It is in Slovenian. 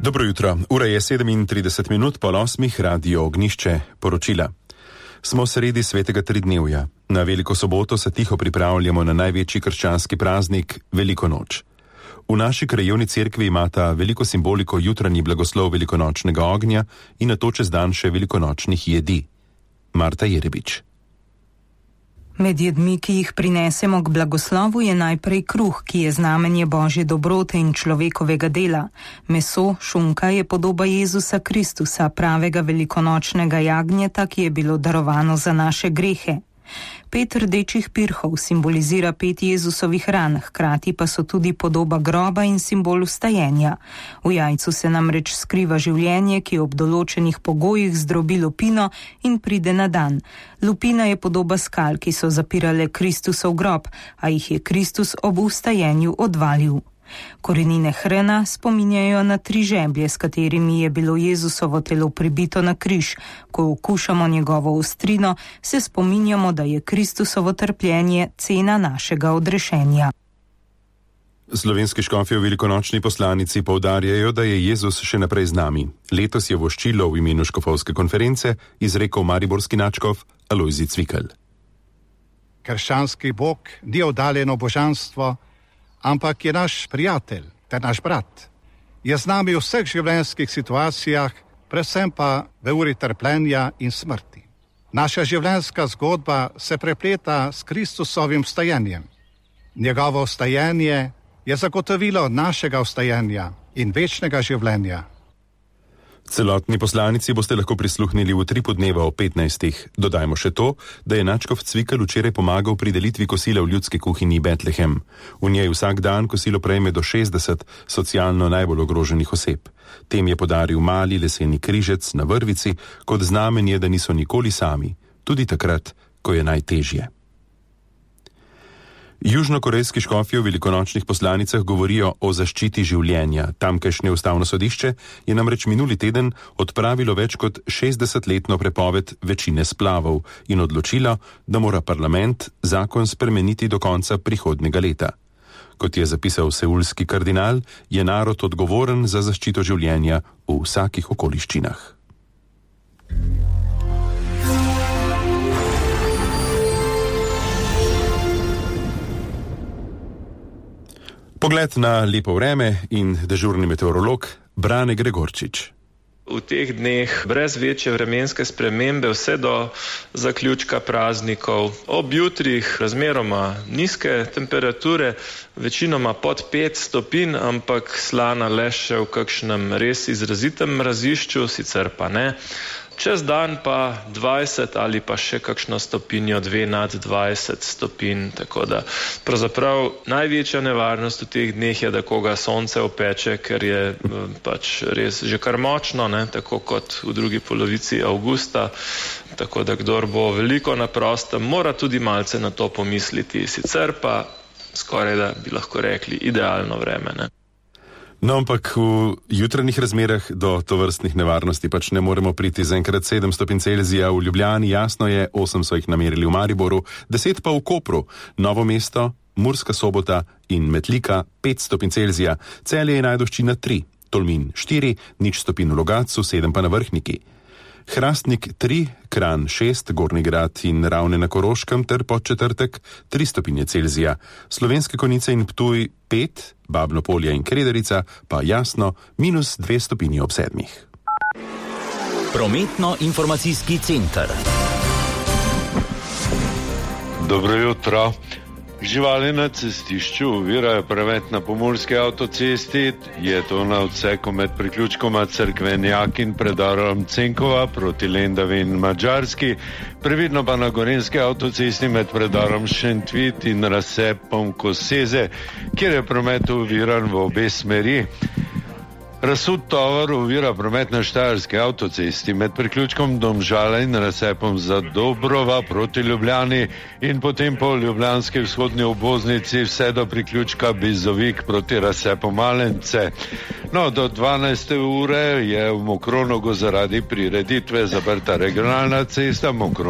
Dobro jutro, ura je 37 minut po 8, Radio Ognjišče, poročila. Smo sredi svetega tridnevja. Na Veliko soboto se tiho pripravljamo na največji krščanski praznik, Veliko noč. V naši krajevni cerkvi imata veliko simboliko jutranji blagoslov velikonočnega ognja in nato čez dan še velikonočnih jedi. Marta Jerebič. Med jedmi, ki jih prinesemo k blagoslovu, je najprej kruh, ki je znamenje Božje dobrote in človekovega dela. Meso, šunka je podoba Jezusa Kristusa, pravega velikonočnega jagnjeta, ki je bilo darovano za naše grehe. 5 rdečih pirhov simbolizira 5 Jezusovih ran, hkrati pa so tudi podoba groba in simbol vstajenja. V jajcu se namreč skriva življenje, ki ob določenih pogojih zdrobi lupino in pride na dan. Lupina je podoba skal, ki so zapirale Kristusov grob, a jih je Kristus ob vstajenju odvalil. Korenine hrena spominjajo na 3 žeblje, s katerimi je bilo Jezusovo telo pribito na križ. Ko okušamo njegovo ostrino, se spominjamo, da je Kristusovo trpljenje cena našega odrešenja. Slovenski škofje v velikonočni poslanici poudarjajo, da je Jezus še naprej z nami. Letos je voščilo v imenu škofovske konference izrekel mariborski nadškof Alojzij Cvikl. Krščanski Bog ni oddaljeno božanstvo, ampak je naš prijatelj ter naš brat. Je z nami v vseh življenjskih situacijah, predvsem pa v uri trpljenja in smrti. Naša življenjska zgodba se prepleta s Kristusovim vstajenjem. Njegovo vstajenje je zagotovilo našega vstajenja in večnega življenja. Celotni poslanici boste lahko prisluhnili v 3 podneva o 15. Dodajmo še to, da je nadškof Cvikl včeraj pomagal pri delitvi kosila v ljudski kuhinji Betlehem. V njej vsak dan kosilo prejme do 60 socialno najbolj ogroženih oseb. Tem je podaril mali leseni križec na vrvici, kot znamenje, da niso nikoli sami, tudi takrat, ko je najtežje. Južnokorejski škofje v velikonočnih poslanicah govorijo o zaščiti življenja. Tamkajšnje ustavno sodišče je namreč minuli teden odpravilo več kot 60-letno prepoved večine splavov in odločilo, da mora parlament zakon spremeniti do konca prihodnjega leta. Kot je zapisal seulski kardinal, je narod odgovoren za zaščito življenja v vsakih okoliščinah. Pogled na lepo vreme in dežurni meteorolog Brane Gregorčič. V teh dneh brez večje vremenske spremembe vse do zaključka praznikov. Ob jutrih razmeroma nizke temperature, večinoma pod 5 stopinj, ampak slana le še v kakšnem res izrazitem mrazišču, sicer pa ne. Čez dan pa 20 ali pa še kakšno stopinjo 2 nad 20 stopinj, tako da pravzaprav največja nevarnost v teh dneh je, da koga sonce opeče, ker je pač res že kar močno, tako kot v drugi polovici avgusta, tako da kdor bo veliko na prostem, mora tudi malce na to pomisliti, sicer pa skoraj da bi lahko rekli idealno vreme, No, ampak v jutranjih razmerah do tovrstnih nevarnosti pač ne moremo priti. Zaenkrat 7 stopinj Celzija v Ljubljani, jasno je, 8 so jih namerili v Mariboru, 10 pa v Kopru, Novo mesto, Murska Sobota in Metlika 5 stopinj Celzija, Celje in Ajdovščina 3, Tolmin 4, 0 stopinj v Logatcu, 7 pa na Vrhniki. Hrastnik 3, Kranj 6, Gornji Grad in Ravne na Koroškem ter Podčetrtek 3 stopinje Celzija. Slovenske Konjice in Ptuj 5, Babno Polje in Krederica pa jasno -2 stopinji ob 7. Prometno-informacijski center. Dobro jutro. Živali na cestišču ovirajo promet na pomurski avtocesti, je to na odseku med priključkoma Cerkvenjak in predorom Cenkova proti Lendavi in Madžarski, previdno pa na gorenjski avtocesti med predorom Šentvit in razcepom Koseze, kjer je promet oviran v obe smeri. Razsud tovor ovira promet na štajerski avtocesti med priključkom Domžale in razcepom Zadobrova proti Ljubljani in potem po ljubljanski vzhodni obvoznici vse do priključka Bizovik proti razcepu Malence. No, do 12. ure je v Mokronogu zaradi prireditve zaprta regionalna cesta